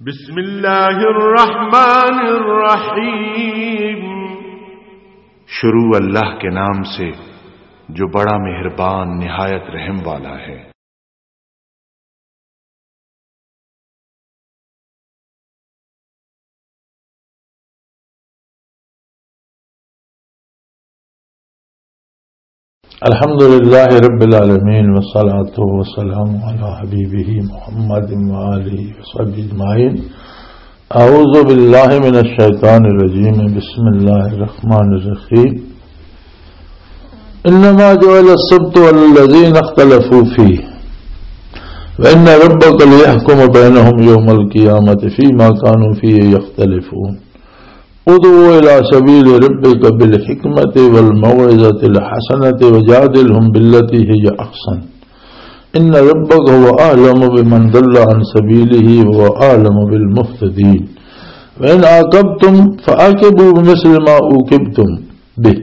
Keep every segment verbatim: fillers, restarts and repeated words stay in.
بسم اللہ الرحمن الرحیم۔ شروع اللہ کے نام سے، جو بڑا مہربان، نہایت رحم والا ہے۔ الحمد لله رب العالمين، والصلاة والسلام على حبيبه محمد وآله وصحبه أجمعين. أعوذ بالله من الشيطان الرجيم. بسم الله الرحمن الرحيم. إنما جعل السبت على الذين اختلفوا فيه، وإن ربك ليحكم بينهم يوم القيامة فيما كانوا فيه يختلفون. ادع إلى سبيل ربك بالحكمة والموعظة الحسنة وجادلهم بالتي هي أحسن. إن ربك هو أعلم بمن ضل عن سبيله وهو أعلم بالمهتدين. وإن عاقبتم فعاقبوا بمثل ما عوقبتم به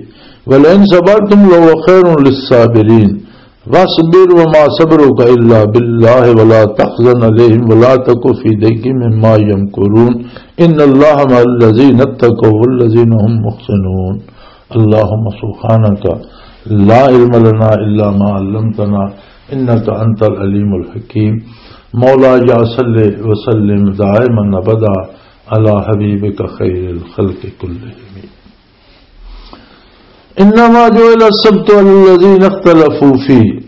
ولئن صبرتم لهو خير للصابرين. واصبر وما صبرك إلا بالله ولا تحزن عليهم ولا تك في ضيق مما يمكرون. إن الله مع الذين اتقوا والذين هم محسنون. اللهم سبحانك لا علم لنا إلا ما علمتنا إنك أنت العليم الحكيم. مولاي صل وسلم دائما أبدا على حبيبك خير الخلق كلهم. انما جعل السبت الذين اختلفوا فيه،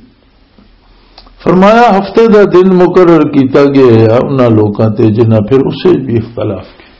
فرمایا ہفتے دا دن مقرر کیتا گیا ہے انہاں لوکاں تے جنہاں پھر اسے بھی اختلاف کیا۔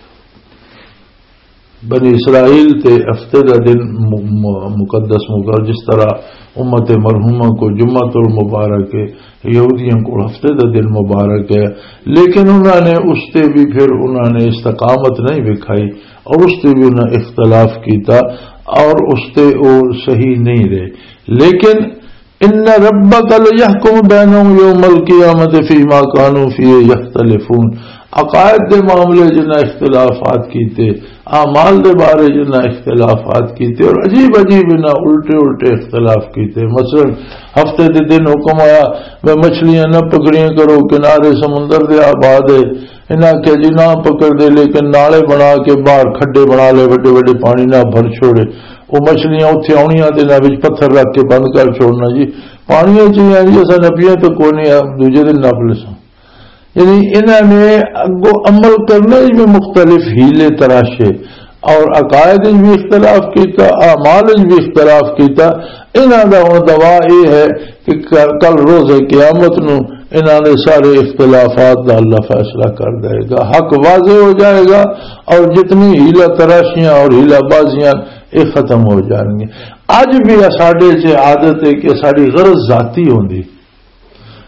بنی اسرائیل تے ہفتے دا دن م-، م-، مقدس مقرر، جس طرح امت مرحومہ کو جمعۃ المبارک ہے، یہودیوں کو ہفتے دا دن مبارک ہے، لیکن انہاں نے اس تے بھی پھر انہاں نے استقامت نہیں دکھائی اور اس تے بھی انہاں اختلاف کیتا اور اس تے وہ صحیح نہیں رہے۔ لیکن ان ربک لیحکم بینہم یوم القیامۃ فیما کانوا فیہ یختلفون، عقائد دے معاملے جنہاں اختلافات کیتے، اعمال دے بارے جنہاں اختلافات کیتے اور عجیب عجیب انہاں الٹے الٹے اختلاف کیتے۔ مثلا ہفتے دے دن حکم آیا، میں مچھلیاں نہ پکڑیاں کرو، کنارے سمندر دے آباد ہے۔ انہاں آکھیا جی نہ پکڑ دے، لیکن نالے بنا کے باہر کھڈے بنا لے، وڈے وڈے پانی نہ بھر چھوڑے۔ وہ مچھلیاں اتھے آنیاں تے انہاں وچ پتھر رکھ کے بند کر چھوڑنا جی۔ پانی وچ ہی آ جی، اساں نپیاں تے کوئی نہیں، دوجے دن نپ لیساں۔ یعنی انہاں نے اگوں عمل کرنے وچ بھی مختلف حیلے تراشے اور عقائد وچ بھی اختلاف کیتا، اعمال وچ بھی اختلاف کیتا۔ انہاں دا ہن دعویٰ یہ ہے کہ ک-، کل روز قیامت نو انہاں نے سارے اختلافات دا اللہ فیصلہ کر دے گا، حق واضح ہو جائے گا اور جتنی حیلہ تراشیاں اور حیلہ بازیاں یہ ختم ہو جان گے۔ اج بھی ساڈے چ عادت ہے کہ ساڈی غرض ذاتی ہوندی،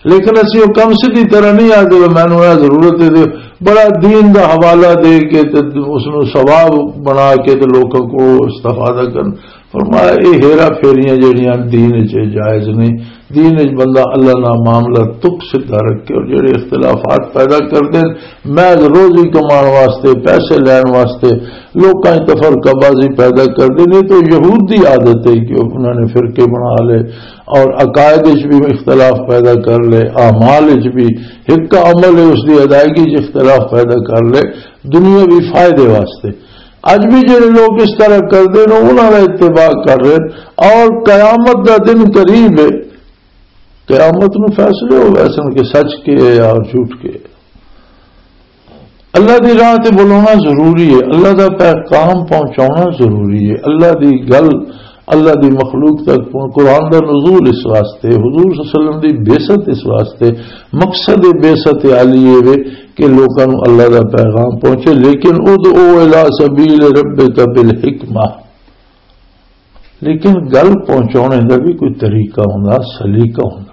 لیکن اسی وہ کم سدھی طرح نہیں آتے، "میں نوں یہ ضرورت ہے"، تے بڑا دین دا حوالہ دے کے تے اس نوں ثواب بنا کے تے لوکاں کو استفادہ کرن۔ فرمایا، یہ ہیرا پھیریاں جڑیاں دین وچ جائز نہیں۔ دین وچ بندہ اللہ نال معاملہ تک سدھا رکھے اور جڑے اختلافات پیدا کردے، محض روزی کمان واسطے، پیسے لین واسطے لوکاں وچ تفرقہ بازی پیدا کردے نے۔ تو یہود دی عادت ہے کہ انہاں نے فرقے بنا لے، اور عقائد وچ بھی اختلاف پیدا کر لے، اعمال وچ بھی ایک عمل ہے، اس دی ادائیگی وچ اختلاف پیدا کر لے دنیاوی فائدے واسطے۔ اج بھی جڑے لوگ اس طرح کردے نے، انہاں دا اتباع کر رہے ہیں۔ اور قیامت دا دن قریب ہے، قیامت نو فیصلے ہو ویسن کہ سچ کے ہے اور جھوٹ کے ہے۔ اللہ دی راہ تے بلاونا ضروری ہے، اللہ دا پیغام پہنچاونا ضروری ہے، اللہ دی گل، اللہ دی مخلوق تک پہن-، قرآن دا نزول اس واسطے، حضور صلی اللہ علیہ وسلم دی بعثت اس واسطے، مقصد بعثت عالی یہ وے کہ لوکاں نوں اللہ دا پیغام پہنچے، لیکن ادعو الی سبیل ربک بالحکمہ، لیکن گل پہنچانے دا بھی کوئی طریقہ ہوندا، سلیقہ ہوندا۔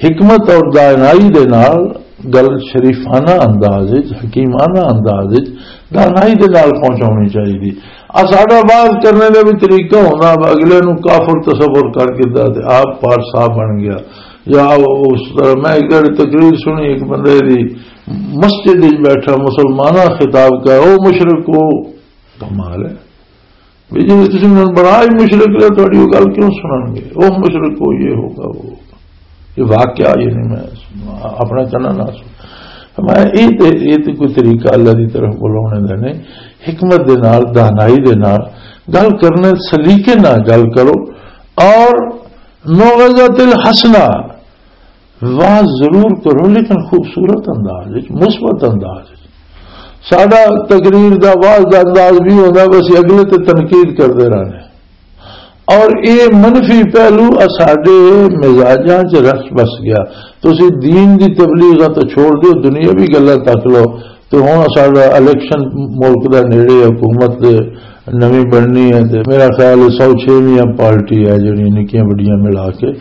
حکمت اور دانائی دے نال گل شریفانہ انداز وچ، حکیمانہ انداز وچ دانائی دے نال پہنچانی چاہیے۔ آ ساڈا باز کرنے دا بھی طریقہ ہوندا، اگلے نوں کافر تصور کر کے دا تے آپ پارسا بن گیا، یا اس طرح۔ میں ایک گھڑی تقریر سنی، ایک بندے دی مسجد وچ بیٹھا مسلماناں خطاب کر، "او مشرکو"، کمال ہے۔ بھی جی تسی انہوں نے بڑا ہی مشرک لیا، تھوڑی وہ گل کیوں سنن گے؟ وہ مشرک ہو، یہ ہوگا، وہ ہوگا۔ یہ واقعہ، یہ نہیں میں اپنا کہنا نہ سن۔ فرمایا، یہ تے، یہ تے کوئی طریقہ اللہ دی طرف بلانے دا نہیں۔ حکمت دے نال، دانائی دے نال گل کرنے، سلیقے نال گل کرو، اور موعظۃ الحسنہ، واز ضرور کرو، لیکن خوبصورت انداز وچ، مثبت انداز وچ۔ ساڈا تقریر دا، واز دا انداز بھی ہوندا، بس اگلے تے تنقید کردے رہنے۔ اور یہ منفی پہلو اساڈے مزاجاں چ رس بس گیا۔ تسی دین دی تبلیغ تو چھوڑ دیو، دنیاوی گلاں تک لو۔ تو ہن ساڈا الیکشن ملک دا نیڑے، حکومت نویں بننی ہے، تے میرا خیال ہے سو چھویاں پارٹی ہے جڑیاں نکیاں وڈیاں ملا کے،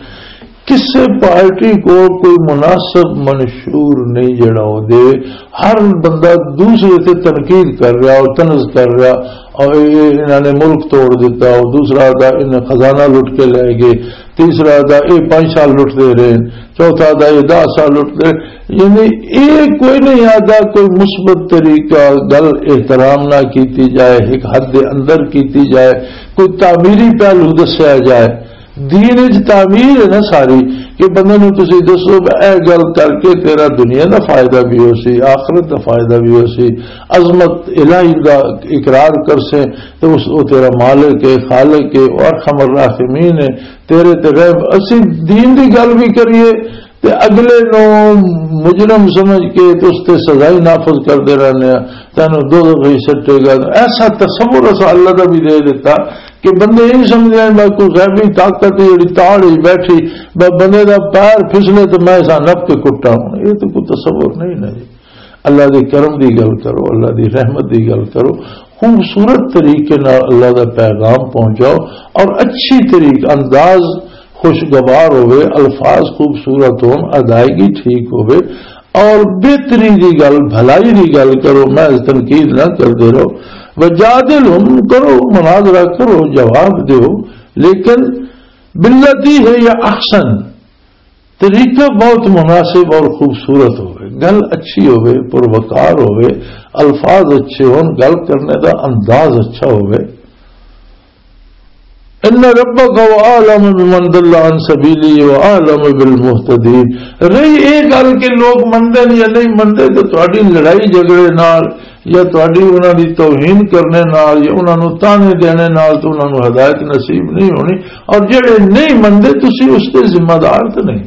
کسے پارٹی کو کوئی مناسب منشور نہیں جڑا ہو دے۔ ہر بندہ دوسرے تے تنقید کر رہا اور طنز کر رہا، اور یہ انہاں نے ملک توڑ دیتا، اور دوسرا دا انہیں خزانہ لٹ کے لے گئے، تیسرا دا یہ پانچ سال لٹتے رہے، چوتھا دا یہ دس سال لٹتے رہے۔ یعنی یہ کوئی نہیں آتا، کوئی مثبت طریقہ، گل احترام نہ کیتی جائے، ایک حد دے اندر کیتی جائے، کوئی تعمیری پہلو دسیا جائے۔ دین وچ تعمیر ہے نا ساری، کہ بندے نوں تسی دسو کہ اے گل کر کے تیرا دنیا دا فائدہ بھی ہو سی، آخرت دا فائدہ بھی ہو سی، عظمت الہی دا اقرار کر سے، تے اس، او تیرا مالک ہے، خالق ہے، او ارحم الراحمین ہے، تیرے تے رحم۔ اسی دین دی گل بھی کریے تے اگلے نوں مجرم سمجھ کے تے اس تے سزا ہی نافذ کردے رہنے ہیں، تینوں دوزخ ہی سٹے گا۔ ایسا تصور اسا اللہ دا بھی دے دیتا کہ بندے یہ سمجھ لین، بس کوئی غیبی طاقت ہے جڑی تاڑ ہی بیٹھی، بس بندے دا پیر پھسلے تو میں اسا نپ کے کٹا ہوں۔ یہ تو کوئی تصور نہیں نا جی۔ اللہ دے کرم دی گل کرو، اللہ دی رحمت دی گل کرو، خوبصورت طریقے نال اللہ دا پیغام پہنچاؤ، اور اچھی طریقے، انداز خوشگوار ہوئے، الفاظ خوبصورت ہون، ادائیگی ٹھیک ہوئے، اور بہتری دی گل، بھلائی دی گل کرو، محض تنقید نہ کردے رہو۔ وجادلہم، کرو، مناظرہ کرو، جواب دیو، لیکن باللتی ہی یا احسن، طریقہ بہت مناسب اور خوبصورت ہوئے، گل اچھی ہوئے، پروقار ہوئے، الفاظ اچھے ہون، گل کرنے دا انداز اچھا ہوئے۔ ان ربک هو اعلم بمن ضل عن سبیلہ و اعلم بالمہتدین۔ رہی یہ گل کہ لوگ مندے یا نہیں مندے، تو تہاڈی لڑائی جھگڑے نال یا تہاڈی انہاں دی توہین کرنے نال یا انہاں نوں طعنے دینے نال تو انہاں نوں ہدایت نصیب نہیں ہونی، اور جڑے نہیں مندے تسی اس دے ذمہ دار تے نہیں۔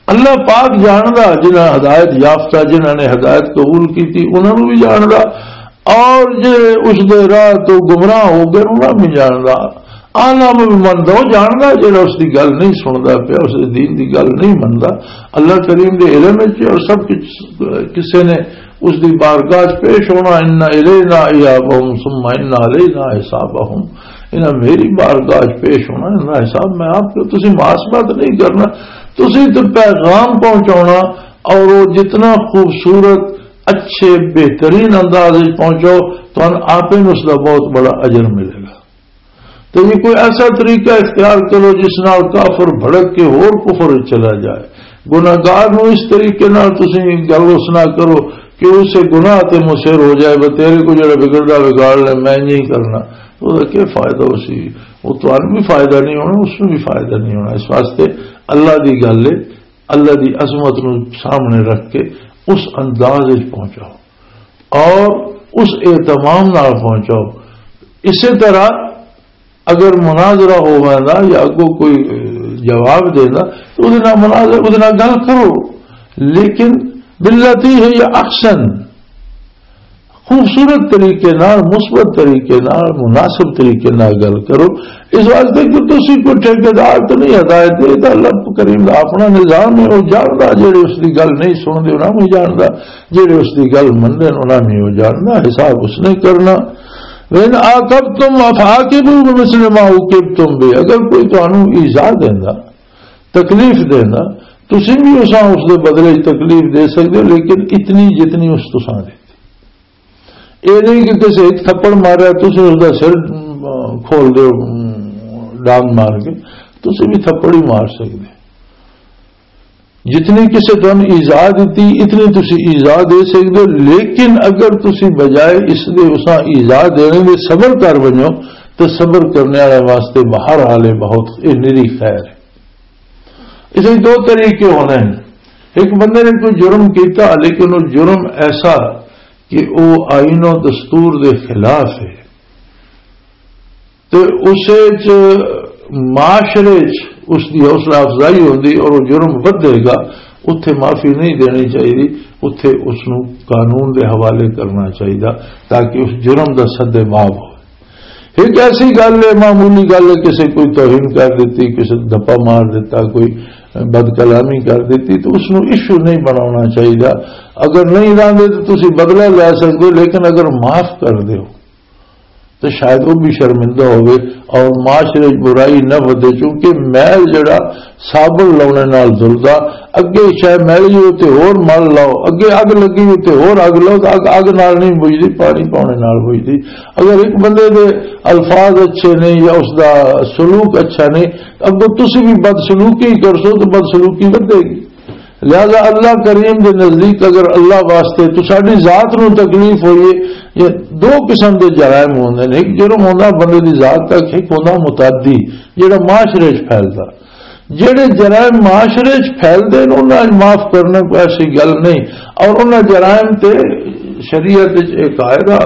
اللہ پاک جاندا جنہاں ہدایت یافتہ، جنہاں نے ہدایت قبول کی تھی، انہاں نوں بھی جاندا، اور جے اس دے راہ تو گمراہ ہو گئے، انہاں بھی جاندا۔ عالم بھی مندا، وہ جاندا جڑا اس دی گل نہیں سندا پیا، اس دے دین دی گل نہیں مندا۔ اللہ کریم دے علم وچ اور سب کچھ کسے نے اس دی بارگاہ چ پیش ہونا۔ ان الینا ایابہم ثم ان علینا حسابہم۔ انہاں میری بارگاہ چ پیش ہونا، انہاں حساب میں آپ کو، تسی محاسبہ تو نہیں کرنا، تسی تو پیغام پہنچانا، اور وہ جتنا خوبصورت، اچھے، بہترین انداز وچ پہنچاؤ، تہن آپ ہی اس دا بہت بڑا اجر ملے گا۔ تو یہ کوئی ایسا طریقہ اختیار کرو جس نال کافر بھڑک کے ہور کفر وچ چلا جائے۔ گناہگار نو اس طریقے نال تسی گل اس نہ کرو کہ اسے گناہ تے مصر ہو جائے، "بس تیرے کو جڑا بگڑدا بگاڑ لے، میں نہیں کرنا۔" وہ کیا فائدہ اسی؟ وہ تہن بھی فائدہ نہیں ہونا، اس نوں بھی فائدہ نہیں ہونا۔ اس واسطے اللہ دی گل ہے، اللہ دی عظمت نوں سامنے رکھ کے اس انداز وچ پہنچاؤ اور اس اہتمام نال پہنچاؤ۔ اسی طرح اگر مناظرہ ہو ویندا یا اگوں کوئی، اے، جواب دیندا، تو اودے نال مناظرہ، اودے نال گل کرو، لیکن باللتی ہی احسن، خوبصورت طریقے نال، مثبت طریقے نال، مناسب طریقے نال گل کرو۔ اس واسطے کہ تسی کوئی ٹھیکیدار تو نہیں ہدایت دے، یہ تو اللہ کریم دا اپنا نظام ہے۔ وہ جاندا جڑے اس دی گل نہیں سنتے، انہاں بھی جاندا، جڑے اس دی گل منتے، انہاں بھی وہ جاندا، حساب اس نے کرنا۔ وَإِنْ عَاقَبْتُمْ فَعَاقِبُوا بِمِثْلِ مَا عُوقِبْتُمْ بِهِ، اگر کوئی تانوں ایذا دیندا، تکلیف دیندا، تسی بھی اساں اس دے بدلے وچ تکلیف دے سکدے ہو، لیکن اتنی جتنی اس تساں دتی۔ اے نہیں کہ کسے ایک تھپڑ ماریا، تسی اس دا سر، ام، کھول دیو، ام، ڈانگ مار کے، تسی بھی تھپڑ ہی مار سکدے۔ جتنی کسے تانوں ایذا دتی، اتنی تسی ایذا دے سکدے ہو، لیکن اگر تسی بجائے اس دے اساں ایذا دینے دے صبر کر ونجو، تو صبر کرنے والے واسطے بہرحال یہ بہت، یہ نری خیر ہے۔ اس وچ دو طریقے ہونے ہیں۔ ایک بندے نے کوئی جرم کیتا، لیکن وہ جرم ایسا کہ وہ آئین و دستور دے خلاف ہے، تے اسے چ معاشرے چ اس دی حوصلہ افزائی ہوندی اور وہ جرم ودھے گا، اتھے معافی نہیں دینی چاہیے، اتھے اس نو قانون دے حوالے کرنا چاہیے، تاکہ اس جرم دا سد باب ہو۔ ایک ایسی گل ہے، معمولی گل ہے، کسی کوئی توہین کر دیتی، کسی دپا مار دیتا، کوئی بد کلامی کر دیتی، تو اس نو ایشو نہیں بنانا چاہیے۔ اگر نہیں لاندے تو تسی بدلہ لے سکتے ہو، لیکن اگر معاف کر دیو تو شاید وہ بھی شرمندہ ہوئے اور معاشرے وچ برائی نہ ودے، کیونکہ میل جڑا صابن لاؤنے نال دھلدا، اگے شاید میل ہی ہوتے ہور مل لاؤ، اگے اگ لگی ہوتے ہور اگ لاؤ، تو اگ اگ نال نہیں بجھدی، پانی پاؤنے نال بجھدی۔ اگر ایک بندے دے الفاظ اچھے نہیں یا اس دا سلوک اچھا نہیں، اگوں تسی بھی بدسلوکی کرسو تو بدسلوکی ودے گی۔ لہذا اللہ کریم دے نزدیک اگر اللہ واسطے تو ساڈی ذات نو تکلیف ہوئی ہے، یہ دو قسم دے جرائم ہوندے نے۔ ایک جرم ہوندا بندے دی ذات تک، ایک ہوندا متعدی، جڑا معاشرے وچ پھیلدا۔ جڑے جرائم معاشرے وچ پھیلدے نے، انہاں وچ معاف کرنا کوئی ایسی گل نہیں۔ اور انہاں جرائم تے شریعت وچ ایک قاعدہ،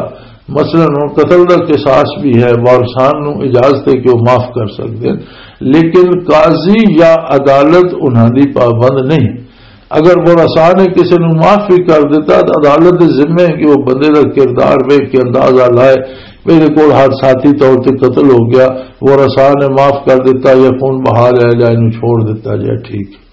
مثلاً ہن قتل دا قصاص بھی ہے، وارثان نو اجازت ہے کہ وہ معاف کر سکدے ہیں، لیکن قاضی یا عدالت انہاں دی پابند نہیں۔ اگر ورثاء نے کسی نو معاف بھی کر دیتا تو عدالت دے ذمے ہے کہ وہ بندے دا کردار ویکھ کے اندازہ لائے، میرے کول حادثاتی طور تے قتل ہو گیا، ورثاء نے معاف کر دیتا یا خون بہا لیا جائے، انہوں چھوڑ دیتا جائے، ٹھیک ہے۔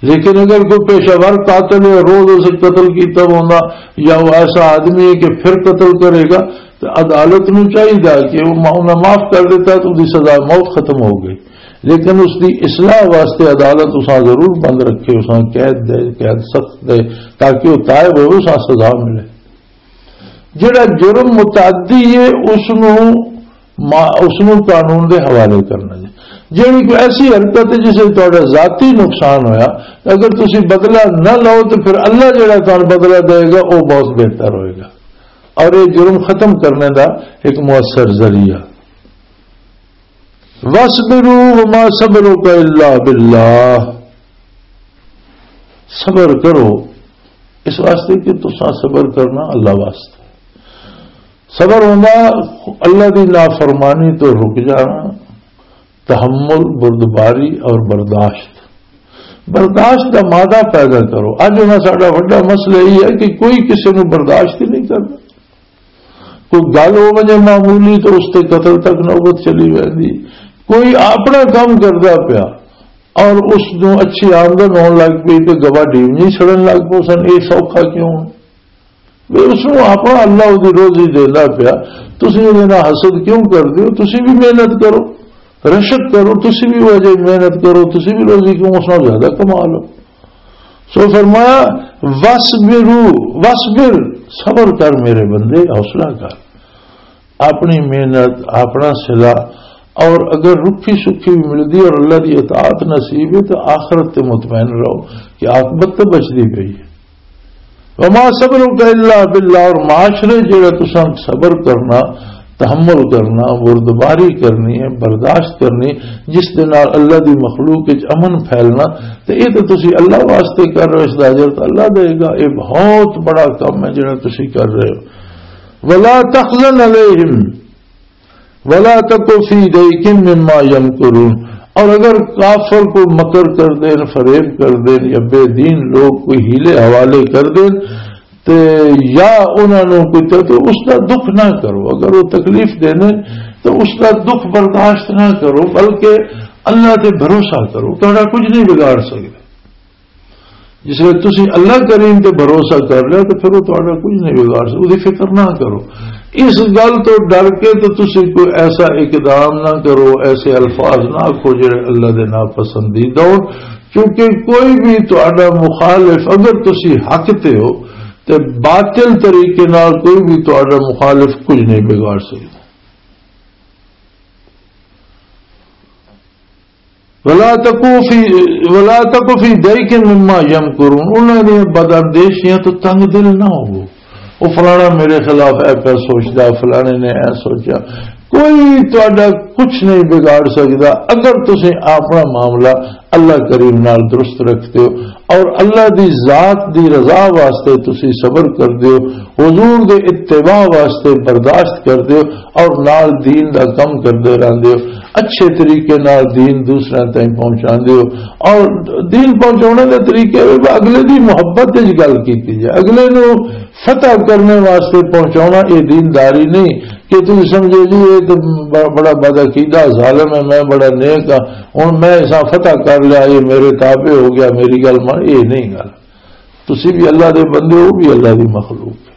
لیکن اگر کوئی پیشہ ور قاتل ہے، روز اسے قتل کیتا ہوندا، یا وہ ایسا آدمی ہے کہ پھر قتل کرے گا، تو عدالت نو چاہیے کہ وہ ما-، انہاں معاف کر دیتا تو دی سزا موت ختم ہو گئی۔ لیکن اس دی اصلاح واسطے عدالت اساں ضرور بند رکھے، اساں قید دے، قید سخت دے، تاکہ وہ تائب ہوئے، اساں سزا ملے۔ جڑا جرم متعدی ہے، اس نو ما-، اس نو قانون دے حوالے کرنا جی۔ جڑی کوئی ایسی حرکت ہے جس سے تہاڈا ذاتی نقصان ہویا، اگر تسی بدلہ نہ لو تو پھر اللہ جڑا تہانوں بدلہ دے گا، وہ بہت بہتر ہوئے گا۔ اور یہ جرم ختم کرنے دا ایک مؤثر ذریعہ۔ وَاصْبِرُوا وَمَا صَبْرُكَ إِلَّا بِاللَّهِ۔ صبر کرو، اس واسطے کہ تساں صبر کرنا اللہ واسطے۔ صبر ہوندا اللہ دی نافرمانی تو رک جانا، تحمل، بردباری اور برداشت۔ برداشت دا مادہ پیدا کرو۔ اج انہاں ساڈا وڈا مسئلہ یہ ہے کہ کوئی کسی نوں برداشت ہی نہیں کردا۔ کوئی گل ہو ونجے معمولی تو اس تے قتل تک نوبت چلی ویندی۔ کوئی اپنا کام کردا پیا اور اس نوں اچھی آمدن ہون لگ پئی تے گواڈی نہیں سڑن لگ پو سن، یہ سوکھا کیوں؟ وی اس نوں اپنا اللہ دی روزی دیندا پیا، تسی اودے نال حسد کیوں کردے ہو؟ تسی بھی محنت کرو، رشک کرو، تسی بھی وہ جی محنت کرو، تسی بھی روزی کیوں اس نال زیادہ کما لو۔ سو فرمایا، "وَاصْبِرُوا، وَاصْبِرْ"، صبر کر میرے بندے، حوصلہ کر، اپنی محنت، اپنا صلہ، اور اگر رکھی سکھی بھی ملدی اور اللہ دی اطاعت نصیب ہے تو آخرت تے مطمئن رہو کہ عاقبت تو بچدی پئی ہے۔ وما صبرک الا باللہ، اور معاشرے جڑا تساں صبر کرنا، تحمل کرنا، بردباری کرنی ہے، برداشت کرنی، جس دے نال اللہ دی مخلوق وچ امن پھیلنا، تے اے تے تسی اللہ واسطے کر رہے ہو، اس دا اجر تے اللہ دے گا۔ اے بہت بڑا کم ہے جڑا تسی کر رہے ہو۔ ولا تحزن علیہم، ولا تک فی ضیق مما یمکرون، اور اگر کافر کو مکر کر دین، فریب کر دین، یا بے دین لوگ کوئی حیلے حوالے کر دین، تے یا انہاں نوں کوئی تے، تو اس دا دکھ نہ کرو۔ اگر وہ تکلیف دینے تو اس دا دکھ برداشت نہ کرو، بلکہ اللہ تے بھروسہ کرو، تہاڈا کچھ نہیں بگاڑ سکدے۔ جس ویلے تسی اللہ کریم تے بھروسہ کر لیا تو پھر وہ تہاڈا کچھ نہیں بگاڑ سکدا، اودی فکر نہ کرو۔ اس گل تو ڈر کے تو تسی کوئی ایسا اقدام نہ کرو، ایسے الفاظ نہ آکھو جڑے اللہ دے ناپسندیدہ ہون، کیونکہ کوئی بھی تہاڈا مخالف، اگر تسی حق تے ہو، تے باطل طریقے نال کوئی بھی تہاڈا مخالف کچھ نہیں بگاڑ سکدا۔ ولا تکو فی، ولا تکو فی ضیق مما یمکرون، انہاں دیاں بداندیشیاں تو تنگ دل نہ ہوو۔ او فلانا میرے خلاف اے پیا سوچدا، فلانے نے اے سوچا۔ کوئی تہاڈا کچھ نہیں بگاڑ سکدا اگر تسیں اپنا معاملہ اللہ کریم نال درست رکھتے ہو، اور اللہ دی ذات دی رضا واسطے تسی صبر کردے ہو، حضور دے اتباع واسطے برداشت کردے ہو، اور نال دین دا کم کردے رہندے ہو، اچھے طریقے نال دین دوسرے تائیں پہنچاندے ہو۔ اور دین پہنچانے دے طریقے وی اگلے دی محبت وچ گل کیتی جائے، اگلے نو فتح کرنے واسطے پہنچانا، یہ دینداری نہیں کہ تم سمجھو جی یہ تو ب-، بڑا بدعقیدہ ظالم ہے، میں بڑا نیک ہاں، ہن میں اساں فتح کر لیا، یہ میرے تابع ہو گیا، میری گل مان، یہ نہیں گل۔ تسی بھی اللہ دے بندے ہو، بھی اللہ دی مخلوق ہے۔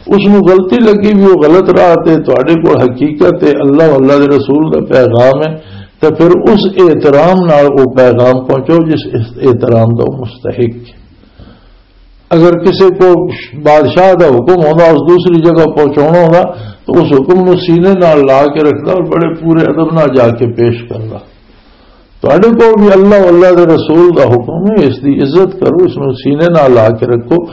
اس نو غلطی لگی بھی وہ غلط راہ تے، تواڈے کول حقیقت ہے، اللہ، اللہ دے رسول دا پیغام ہے، تے پھر اس احترام نال وہ پیغام پہنچو جس احترام دا وہ مستحق ہے۔ اگر کسی کو بادشاہ دا حکم ہوندا، اس دوسری جگہ پہنچانا ہوندا، تو اس حکم نو سینے نال لا کے رکھدا اور بڑے پورے ادب نال جا کے پیش کردا۔ تہاڈے کول بھی اللہ، اللہ دے رسول دا حکم ہے، اس دی عزت کرو، اس نو سینے نال لا کے رکھو،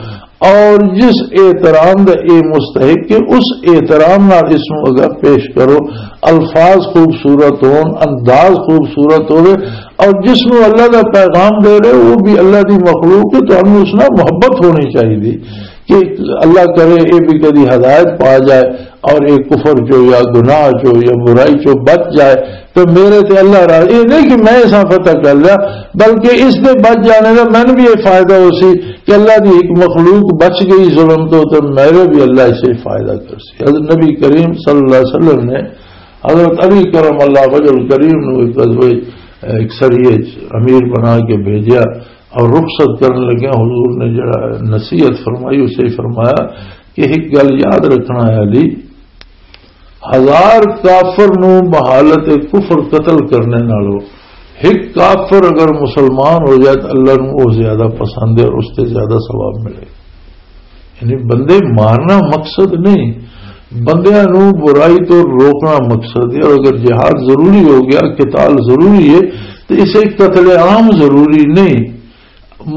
اور جس احترام دا اے مستحق ہے، اس احترام نال اس نو اگر پیش کرو، الفاظ خوبصورت ہون، انداز خوبصورت ہوئے، اور جس نو اللہ دا پیغام دے رہے، وہ بھی اللہ دی مخلوق ہے، تہانوں اس نال محبت ہونی چاہیے کہ اللہ کرے یہ بھی کدی ہدایت پا جائے اور یہ کفر چو یا گناہ چو یا برائی چو بچ جائے، تو میرے تے اللہ راضی۔ یہ نہیں کہ میں اساں فتح کر لیا، بلکہ اس دے بچ جانے دا مینوں بھی یہ فائدہ ہو سی کہ اللہ دی ایک مخلوق بچ گئی ظلم تو، تو میرے بھی اللہ اسے فائدہ کر سی۔ حضرت نبی کریم صلی اللہ علیہ وسلم نے حضرت علی کرم اللہ وجہ الکریم نو ایک غزوہ، ایک سریے چ امیر بنا کے بھیجیا اور رخصت کرن لگیا حضور نے جڑا نصیحت فرمائی، اسے فرمایا کہ ایک گل یاد رکھنا ہے علی، ہزار کافر نو بحالت کفر قتل کرنے نالو ایک کافر اگر مسلمان ہو جائے تو اللہ نو وہ زیادہ پسند ہے اور اس سے زیادہ ثواب ملے۔ یعنی بندے مارنا مقصد نہیں، بندیاں نو برائی تو روکنا مقصد ہے۔ اور اگر جہاد ضروری ہو گیا، قتال ضروری ہے، تو اسے قتل عام ضروری نہیں۔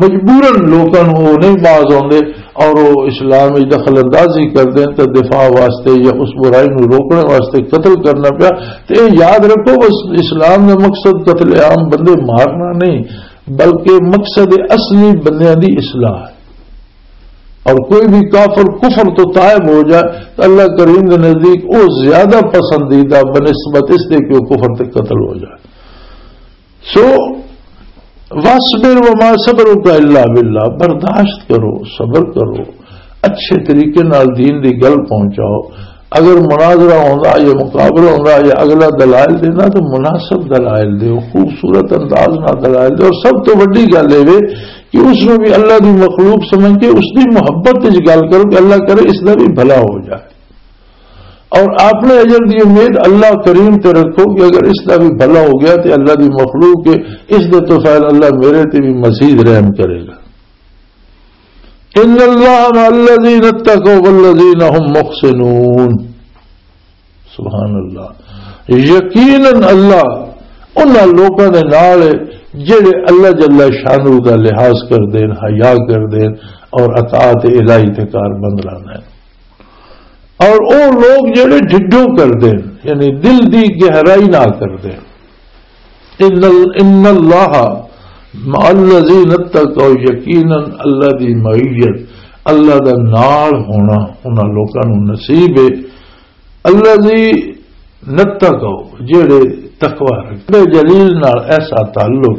مجبوراً لوکاں نو وہ نہیں باز آتے اور وہ اسلام وچ دخل اندازی کر دیں تو دفاع واسطے یا اس برائی نو روکنے واسطے قتل کرنا پیا۔ تو یہ یاد رکھو، بس اسلام دا مقصد قتل عام، بندے مارنا نہیں، بلکہ مقصد اصلی بندیاں دی اصلاح ہے۔ اور کوئی بھی کافر کفر تو تائب ہو جائے تو اللہ کریم کے نزدیک وہ زیادہ پسندیدہ بنسبت اس دے کہ وہ کفر تے قتل ہو جائے۔ سو، وَاصْبِرْ وَمَا صَبْرُكَ إِلَّا بِاللَّهِ، برداشت کرو، صبر کرو، اچھے طریقے نال دین دی گل پہنچاؤ۔ اگر مناظرہ ہوندا یا مقابلہ ہوندا یا اگلا دلائل دینا تو مناسب دلائل دیو، خوبصورت انداز نال دلائل دیو۔ اور سب تو وڈی گل اے وے کہ اس نوں بھی اللہ دی مخلوق سمجھ کے اس دی محبت وچ گل کرو کہ اللہ کرے اس دا بھی بھلا ہو جائے۔ اور اپنے اجر دی امید اللہ کریم تے رکھو کہ اگر اس دا بھی بھلا ہو گیا تے اللہ دی مخلوق کے اس دے تو فعل اللہ میرے تے بھی مزید رحم کرے گا۔ ان اللہ مع الذین اتقوا والذین هم محسنون۔ سبحان اللہ۔ یقیناً اللہ انہاں لوکاں دے نال ہے جڑے اللہ جل شانہ دا لحاظ کر دین، حیا کر دین اور اطاعت الہی تے کار بند رہنا ہے۔ اور او لوگ جڑے ڈھڈو کر دین، یعنی دل دی گہرائی نہ کر دین۔ ان ال-، ان اللہ مع الذین اتقوا، یقیناً اللہ دی معیت، اللہ دا نال ہونا انہاں لوکاں نوں نصیب ہے۔ الذین اتقوا، جڑے تقوی رکھدے، جلیل نال ایسا تعلق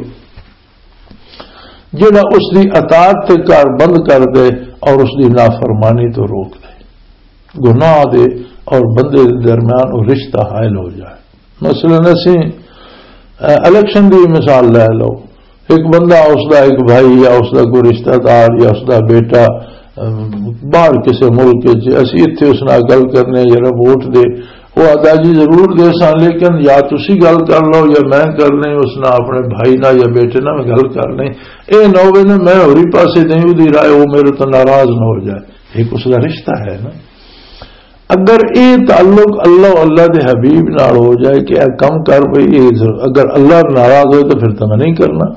جڑا اس دی اطاعت تے کار بند کر دے اور اس دی نافرمانی تو روک دے، گناہ دے اور بندے دے درمیان وہ رشتہ حائل ہو جائے۔ مثلاً اسی، اے، الیکشن دی مثال لے لو، ایک بندہ، اس دا ایک بھائی یا اس دا کوئی رشتہ دار یا اس دا بیٹا، ام، باہر کسے ملک وچ، اسی اتھے اس نال گل کرنے، جڑا ووٹ دے، وہ آدا جی ضرور دے سن، لیکن یا تسی گل کر لو یا میں کر لیں، اس نال اپنے بھائی نال یا بیٹے نال میں گل کر لیں۔ اے نہ ہوے نا میں ہوری پاسے دیں، اودی رائے وہ میرے تو ناراض نہ ہو جائے۔ ایک اس دا رشتہ ہے نا۔ اگر اے تعلق اللہ و اللہ دے حبیب نال ہو جائے کہ اے کم کر بھئی، اے ضرور، اگر اللہ ناراض ہوئے تو پھر تو میں نہیں کرنا،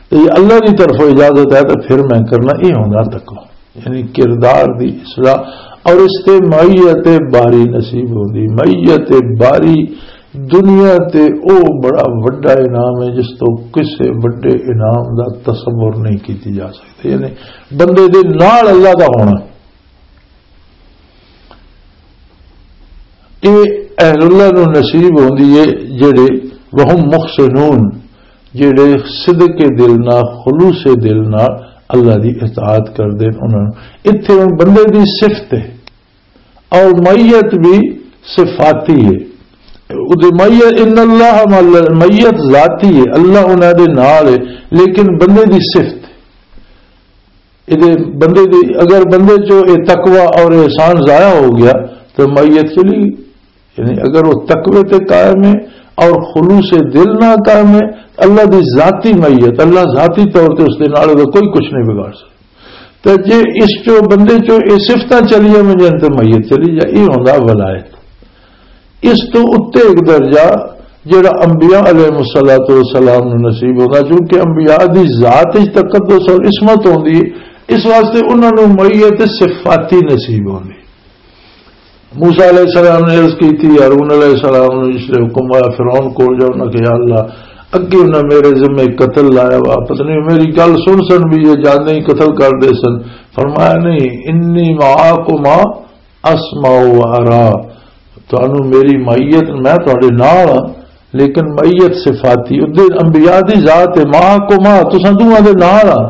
تو یہ اللہ کی طرفوں اجازت ہے تو پھر میں کرنا، یہ ہونا تقوی۔ یعنی کردار دی اصلاح، اور اس تے معیت باری نصیب ہوندی۔ معیت باری دنیا تے او بڑا وڈا انعام ہے جس تو کسے وڈے انعام دا تصور نہیں کیتی جا سکتا۔ یعنی بندے دے نال اللہ دا ہونا، اے اہل اللہ نو نصیب ہوندی ہے، جڑے وہم محسنون، جڑے صدق دل نال، خلوص دل نال اللہ دی اطاعت کردے نے۔ انہاں نوں اتھے ہن بندے دی صفت ہے اور معیت بھی صفاتی ہے۔ اودے معیت، ان اللہ مع الذ-، معیت ذاتی ہے، اللہ انہاں دے نال ہے، لیکن بندے دی صفت، اے دے بندے دی، اگر بندے چوں اے تقوی اور احسان ضائع ہو گیا تو معیت چلی گئی۔ یعنی اگر وہ تقوی تے قائم ہے اور خلوص دل نہ قائم ہے، اللہ دی ذاتی معیت، اللہ ذاتی طور تے اس دے نال دا کوئی کچھ نہیں بگاڑ سکتا۔ تے جے اس چوں، بندے چوں اے صفتاں چلیاں ونجن تے میت چلی جائے، اے ہوندا ولایت۔ اس تو اُتے ایک درجہ جڑا انبیاء علیہ الصلوۃ والسلام نوں نصیب ہوندا، چونکہ انبیاء دی ذات وچ تقدس اور عصمت ہوندی ہے، اس واسطے انہاں نوں میت صفاتی نصیب ہوندی۔ موسیٰ علیہ السلام نے عرض کی تھی ہارون علیہ السلام نے، جس نے حکم آیا فرعون کول جاؤ، انہاں کہ یا اللہ، اگے انہاں میرے ذمے قتل لایا وا، پتہ نہیں میری گل سن سن بھی یہ جاندے ہی قتل کر دے سن۔ فرمایا نہیں، انی معاکما اسمع و ارا، تانوں میری معیت، میں تہاڈے نال ہاں، لیکن معیت صفاتی، ادھر انبیاء دی ذات ہے، معاکما، تساں دوواں دے نال ہاں۔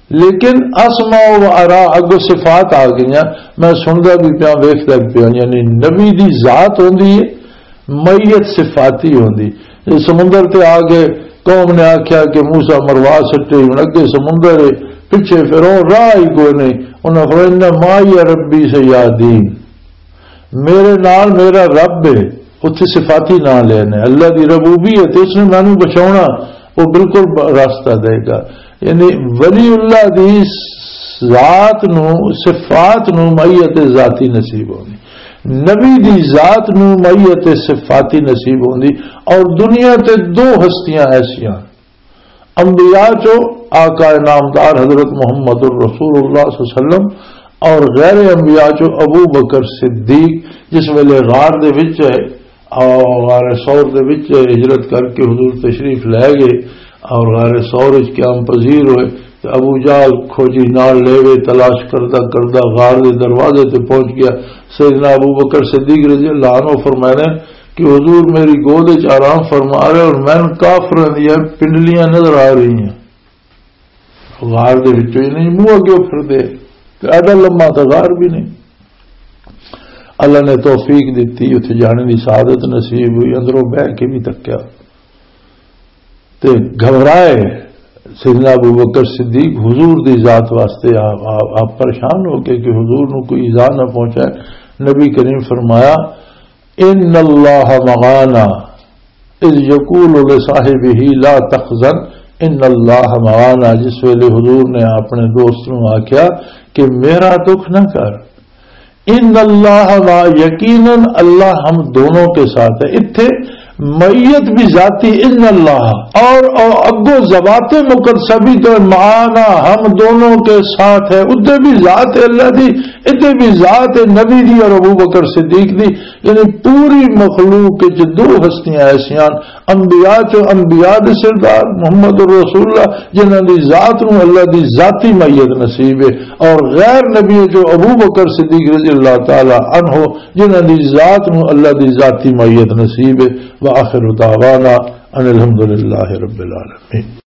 لیکن اسمع و ارا اگوں صفات آ گئیاں، میں سندا بھی پیاں، ویکھدا بھی پیاں، یعنی نبی دی ذات ہوندی ہے، میت صفاتی ہوندی۔ یہ سمندر تے آ گئے، قوم نے آکھیا کہ موسیٰ مروا سٹے، ہن اگے سمندر ہے، پچھے فرعون، راہ ہی کوئی نہیں۔ انہاں فرمایا، ان معی ربی سیہدین، میرے نال میرا رب ہے۔ اتھے صفاتی نام لینے، اللہ دی ربوبیت، اس نے مینوں بچاونا، وہ بالکل ب-، راستہ دے گا۔ یعنی ولی اللہ دی ذات نو، صفات نو معیت ذاتی نصیب ہونی، نبی دی ذات نو معیت صفاتی نصیب ہوندی۔ اور دنیا تے دو ہستیاں ایسیاں، انبیاء چو آقا نامدار حضرت محمد الرسول اللہ صلی اللہ علیہ وسلم، اور غیر انبیاء چو ابو بکر صدیق، جس ویلے غار دے وچ ہے، اور غار ثور دے وچ ہجرت کر کے حضور تشریف لے گئے، اور غار ثور وچ قیام پذیر ہوئے، تے ابو جہل کھوجی نال لے گئے، تلاش کردہ کردہ غار دے دروازے تے پہنچ گیا۔ سیدنا ابو بکر صدیق رضی اللہ عنہ فرمانے کہ حضور میری گود وچ آرام فرما رہے اور مینوں کافراں دیاں پنڈلیاں نظر آ رہی ہیں۔ غار دے وچوں ہی نہیں، منہ اگے پھر دے، تے ایڈا لمبا تے غار بھی نہیں۔ اللہ نے توفیق دتی، اتھے جانے دی سعادت نصیب ہوئی، اندروں بہ کے بھی تکیا تے گھبرائے۔ سیدنا ابو بکر صدیق حضور دی ذات واسطے آپ، آپ، آپ پریشان ہو گئے کہ حضور نو کوئی ایذا نہ پہنچائے۔ نبی کریم فرمایا، ان اللہ معانا، اذ یقول لصاحبہ لا تحزن، ان اللہ معانا، جس ویلے حضور نے اپنے دوست نو آکھیا کہ میرا دکھ نہ کر، ان اللہ مع، یقیناً اللہ ہم دونوں کے ساتھ ہے۔ اتھے معیت بھی ذاتی ان اللہ، اور، اور اگو ذوات مقدسہ بھی تو معانا، ہم دونوں کے ساتھ ہے۔ ادھر بھی ذات اللہ دی، ادھر بھی ذات نبی دی اور ابو بکر صدیق دی۔ یعنی پوری مخلوق وچ دو ہستیاں ایسیاں، انبیاء چو انبیاء دے سردار محمد رسول اللہ، جنہاں دی ذات نو اللہ دی ذاتی معیت نصیب ہے، اور غیر نبی چو ابو بکر صدیق رضی اللہ تعالی عنہ، جنہاں دی ذات نو اللہ دی ذاتی معیت نصیب ہے۔ وآخر دعوانا ان الحمدللہ رب العالمین۔